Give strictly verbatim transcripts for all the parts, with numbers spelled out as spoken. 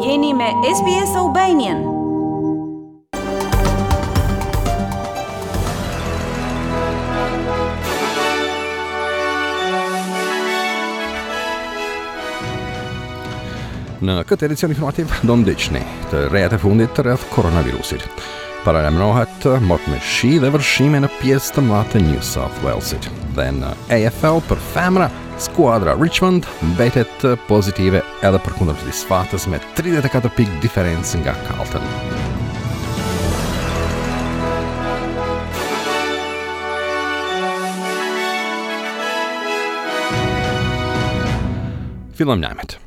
Jeni me S B S Albanian. Në këtë edicion informativ do ndiqni të rejat e fundit të rreth koronavirusit. Paralajmërohet mot me shi dhe vërshime në pjesë të mëdha të New South Walesit. Dhe në A F L për femra, skuadra Richmond mbetet pozitive edhe përkundër të disfatës me tridhjetë e katër pikë diferencë nga Carlton. Fillojmë lajmet.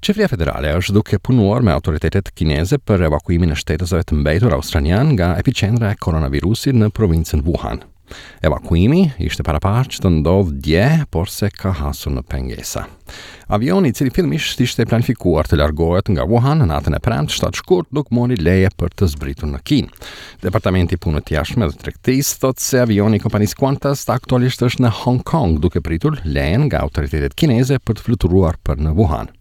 Qeveria federale është duke punuar me autoritetet kineze për evakuimin e shtetasve të mbetur australian nga epiqendra e koronavirusit në provincën Wuhan. Evakuimi ishte paraparë që të ndodhë dje, por se ka hasur në pengesa. Avioni, i cili fillimisht ishte planifikuar të largohet nga Wuhan në natën e premte shtatë shkurt, nuk mori leje për të zbritur në Kinë. Departamenti i Punëve të Jashtme dhe Tregtisë thotë se avioni i kompanisë Qantas aktualisht është në Hong Kong, duke pritur lejen nga autoritetet kineze për të fluturuar për në Wuhan.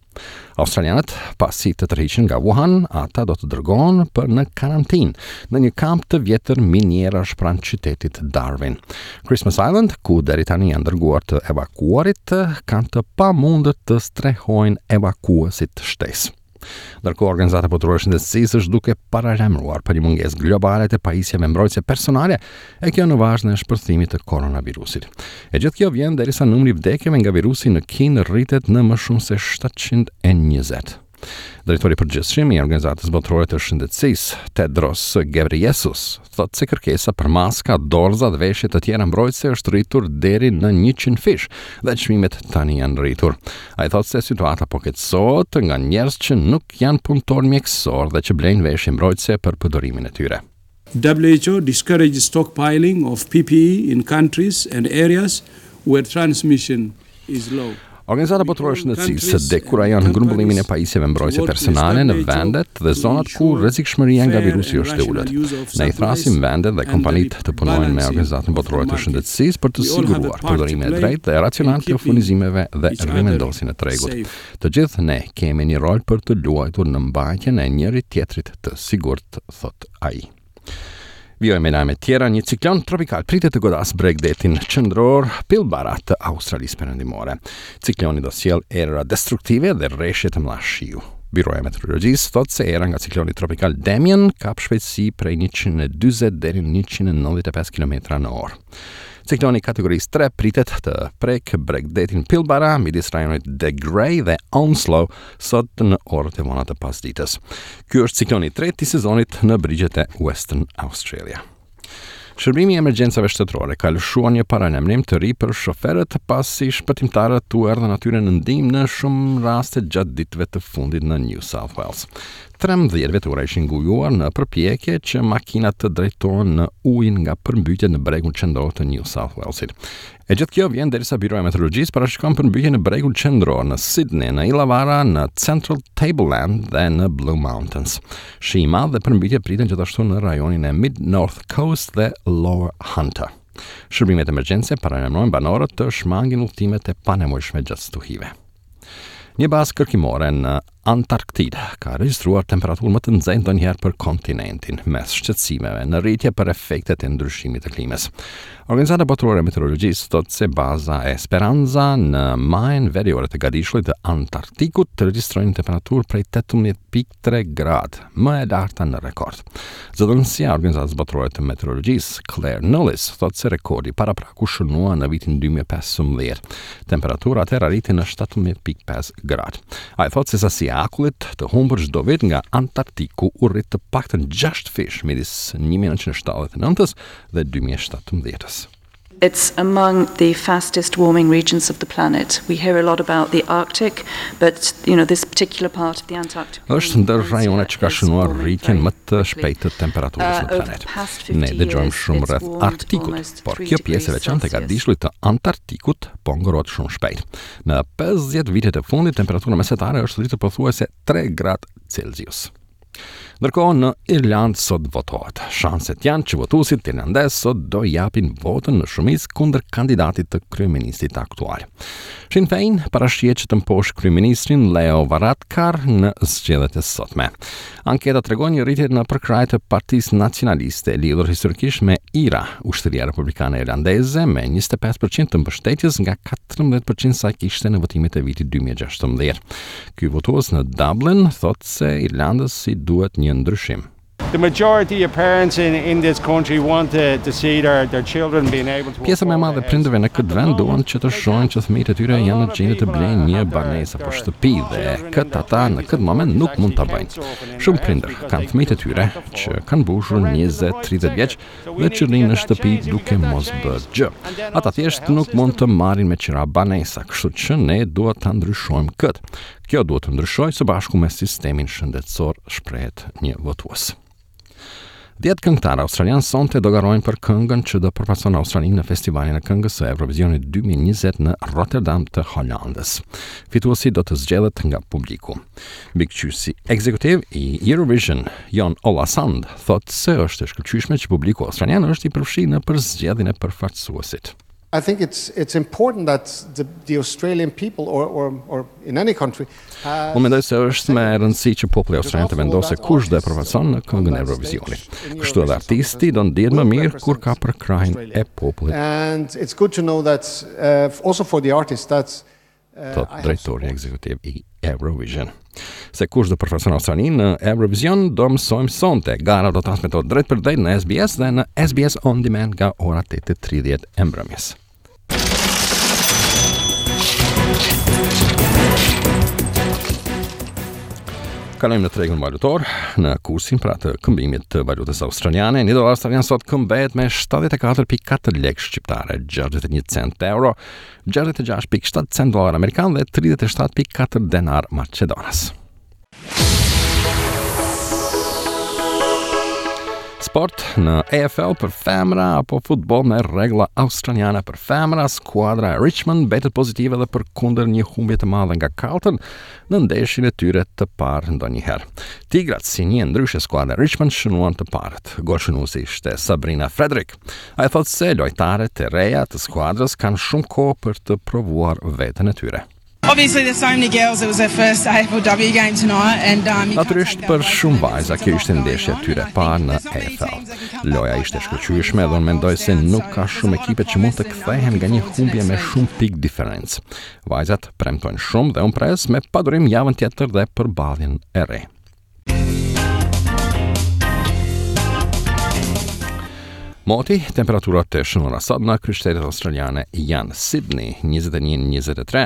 Australianët, pasi të tërhiqen nga Wuhan, ata do të dërgohen për në karantinë në një kamp të vjetër minierash pranë qytetit Darwin. Christmas Island, ku deri tani janë dërguar të evakuarit, kanë të pamundur të strehojnë evakuesit shtesë. Ndërkohë, Organizata Botërore e Shëndetësisë është duke paralajmëruar për një mungesë globale të pajisjeve mbrojtëse personale, e kjo në vazhdën e shpërthimit të koronavirusit. E gjithë kjo vjen derisa numri i vdekjeve nga virusi në Kinë rritet në më shumë se shtatëqind e njëzet. Drejtori i përgjithshëm i Organizatës Botërore të Shëndetësisë, Tedros Ghebreyesus, thotë se kërkesa për maska, dorëza dhe veshje të tjera mbrojtëse është rritur deri në njëqind fish dhe çmimet tani janë rritur. Ai thotë se situata po keqësohet nga njerëz që nuk janë punëtorë mjekësor dhe që blejnë veshje mbrojtëse për përdorimin e tyre. W H O discourages stockpiling of P P E in countries and areas where transmission is low. Organizata Botërore e Shëndetësisë dekurajon grumbullimin e pajisjeve mbrojtëse personale në vendet dhe zonat ku rrezikshmëria nga virusi është e ulët. Ne i thrasim vendet dhe kompanitë të punojnë me Organizatën Botërore të Shëndetësisë për të siguruar përdorimin e drejtë dhe racional të furnizimeve dhe rimendosjen e tregut. Të gjithë ne kemi një rol për të luajtur në mbajtjen e njëri tjetrit të sigurt, thot ai. Vijojmë me lajme tjera. Një ciklon tropikal pritet të godas bregdetin qendror Pilbara të Australisë Perëndimore. Cikloni do sjell erëra destruktive dhe reshje të mëdha shiu. Byroja e Meteorologjisë thotë se era nga cikloni tropikal Damien kap shpejtësi prej njëqind e dyzet deri në njëqind e nëntëdhjetë e pesë kilometra në orë. Cikloni kategorisë tre pritet të prek bregdetin Pilbara midis rajonit De Grey dhe Onslow sot në orët e vona të pasdites. Ky është cikloni i tretë i sezonit në brigjet e Western Australia. Shërbimi i emergjencave shtetërore ka lëshuar një paralajmërim të ri për shoferët, pasi shpëtimtarët u erdhën atyre në ndihmë në shumë raste gjatë ditëve të fundit në New South Wales. trembëdhjetë vetura ishin ngujuar në përpjekje që makinat të drejtohen në ujin nga përmbytjet në bregun qendror të New South Walesit. E gjithë kjo vjen derisa Byroja e Meteorologjisë parashikon përmbytje në bregun qendror, në Sydney, në Illawarra, në Central Tableland dhe në Blue Mountains. Shi i madh dhe përmbytje priten gjithashtu në rajonin e Mid North Coast dhe Lower Hunter. Shërbimet emergjence paralajmërojnë banorët të shmangin udhëtimet e panevojshme gjatë stuhive. Një bazë kërkimore në Antarktidë ka regjistruar temperaturë më të nxehtë ndonjëherë për kontinentin, mes shqetësimeve në rritje për efektet e ndryshimit të klimës. Organizata Botërore e Meteorologjisë thotë se baza Esperanza në majën veriore të gadishullit të Antarktikut të regjistroi një temperaturë prej tetëmbëdhjetë pikë tre gradë, më e larta në rekord. Zëdhënësja e Organizatës Botërore të Meteorologjisë, Claire Nullis, thotë se rekordi paraprak u shënua në vitin dy mijë e pesëmbëdhjetë. Temperatura atëherë arriti në shtatëmbëdhjetë pikë pesë gradë. Ai thotë se sasia e akullit të humbur çdo vit nga Antarktiku u rrit të paktën gjashtë fish midis një mijë e nëntëqind e shtatëdhjetë e nëntës dhe dy mijë e shtatëmbëdhjetës. It's among the fastest warming regions of the planet. We hear a lot about the Arctic, but you know this particular part of the Antarctic. Është ndër rajonet që ka shënuar rritjen më të shpejtë të temperaturës në uh, planet. Ne dëgjojmë shumë rreth Arktikut, por kjo pjesë e veçantë e gadishullit të Antarktikut po ngrohet shumë shpejt. Në pesëdhjetë vitet e fundit, temperatura mesatare është rritur pothuajse tre gradë Celsius. Ndërkohë në Irlandë sot votohet. Shanset janë që votuesit irlandez sot do japin votën në shumicë kundër kandidatit të kryeministrit aktual. Sinn Féin parashihet që të mposhtë kryeministrin Leo Varadkar në zgjedhjet e sotme. Anketa tregon një rritje në përkrahje të Partisë Nacionaliste lidhur historikisht me IRA, Ushtria Republikane Irlandeze, me njëzet e pesë për qind të mbështetjes nga katërmbëdhjetë për qind sa kishte në votimet e vitit dy mijë e gjashtëmbëdhjetë. Ky votues në Dublin thotë se Irlandës i duhet një ndryshim. The majority of parents in, in this country want to, to see their, their children being able to Pjesa më e madhe e prindërve në këtë vend duan që të shohin që fëmijët e tyre janë në gjendje të blejnë një banesë apo shtëpi dhe këtë ata në këtë moment nuk mund ta bëjnë. Shumë prindër kanë fëmijët e tyre që kanë mbushur njëzet tridhjetë vjeç dhe që rrinë në shtëpi duke mos bërë gjë. Ata thjesht nuk mund të marrin me qira banesa, kështu që ne duhet ta ndryshojmë këtë. Kjo duhet të ndryshojë së bashku me sistemin shëndetësor, shprehet një votues. Dhjetë këngëtarë australian sonte do garojnë për këngën që do përfaqëson Australinë në festivalin e këngës së Eurovisionit dy mijë e njëzet në Rotterdam të Holandës. Fituesi do të zgjedhet nga publiku. Mbikëqyrësi ekzekutiv i Eurovision, Jon Ola Sand, thotë se është e shkëlqyeshme që publiku australian është i përfshirë në përzgjedhjen e përfaqësuesit. I think it's it's important that the, the Australian people or, or, or in any country has Unë mendoj se është me rëndësi që populli australian të vendosë se kush do e përfaqëson në këngën e Eurovisionit. Kështu edhe artisti do ndihet më mirë kur ka përkrahjen e popullit, And it's good to know that uh, also for the artists that uh, thot drejtori ekzekutiv i Eurovision. Se kush do përfaqëson Australinë në Eurovision do mësojmë sonte. Gara do transmetohet drejt për drejt në S B S dhe në S B S On Demand nga ora tetë e tridhjetë e mbrëmjes. Kalojmë në tregun valutor, në kursin pra të këmbimit të valutës australiane. Një dolar australian sot këmbehet me shtatëdhjetë e katër pikë katër lekë shqiptare, gjashtëdhjetë e një cent euro, gjashtëdhjetë e gjashtë pikë shtatë cent dolar amerikan dhe tridhjetë e shtatë pikë katër denar maqedonas. Sport në A F L për femra apo futboll me rregulla australiane për femra, skuadra e Richmond mbetet pozitive dhe përkundër një humbje të madhe nga Carlton në ndeshjen e tyre të parë ndonjëherë. Tigrat, si një ndryshe skuadra e Richmond, shënuan të parët. Golshënuesi ishte Sabrina Frederick. Ai thotë se lojtarët e reja të skuadrës kanë shumë kohë për të provuar veten e tyre. Obviously, there's so many girls. It was their first A F L W game tonight, and um, you can't Natyrisht take that për away shumë from them. vajza kjo ishte ndeshja e tyre e parë në A F L. Loja ishte shkëlqyeshme dhe unë mendoj se nuk ka shumë ekipe që mund të kthehen nga një humbje me shumë pikë diferencë. Vajzat premtojnë shumë dhe unë pres me padurim javën tjetër dhe përballjen e re. Moti, temperaturat të shënuara sot në kryeqytetet australiane janë Sydney njëzet e një njëzet e tre,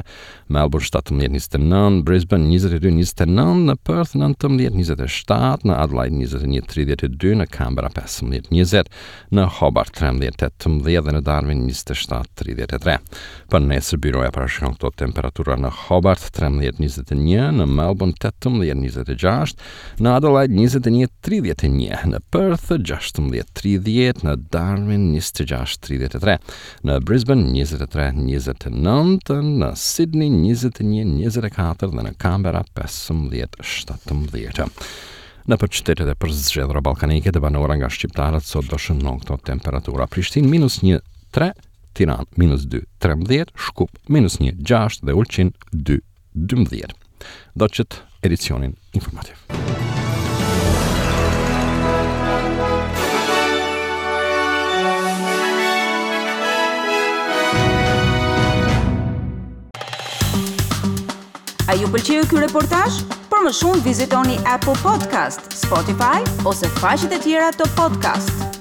Melbourne shtatëmbëdhjetë njëzet e nëntë, Brisbane njëzet e dy njëzet e nëntë, në Perth nëntëmbëdhjetë njëzet e shtatë, në Adelaide njëzet e një tridhjetë e dy, në Canberra pesëmbëdhjetë njëzet, në Hobart trembëdhjetë tetëmbëdhjetë dhe në Darwin njëzet e shtatë tridhjetë e tre. Për nesër byroja parashikon këto temperatura: në Hobart trembëdhjetë njëzet e një, në Melbourne tetëmbëdhjetë njëzet e gjashtë, në Adelaide njëzet e një tridhjetë e një, në Perth gjashtëmbëdhjetë tridhjetë, në Darwin njëzet e gjashtë tridhjetë e tre, në Brisbane njëzet e tre njëzet e nëntë, në Sydney njëzet e një njëzet e katër dhe në Canberra pesëmbëdhjetë shtatëmbëdhjetë. Në për qytetet e përzgjedhura ballkanike të banuara nga shqiptarët sot do shënon këto temperatura: Prishtinë minus një tre, Tiranë minus dy trembëdhjetë, Shkup minus një gjashtë dhe Ulqin dy dymbëdhjetë. Do që të edicionin informativ. A ju pëlqeu ky reportazh? Për më shumë vizitoni Apple Podcast, Spotify ose faqet e tjera të podcast.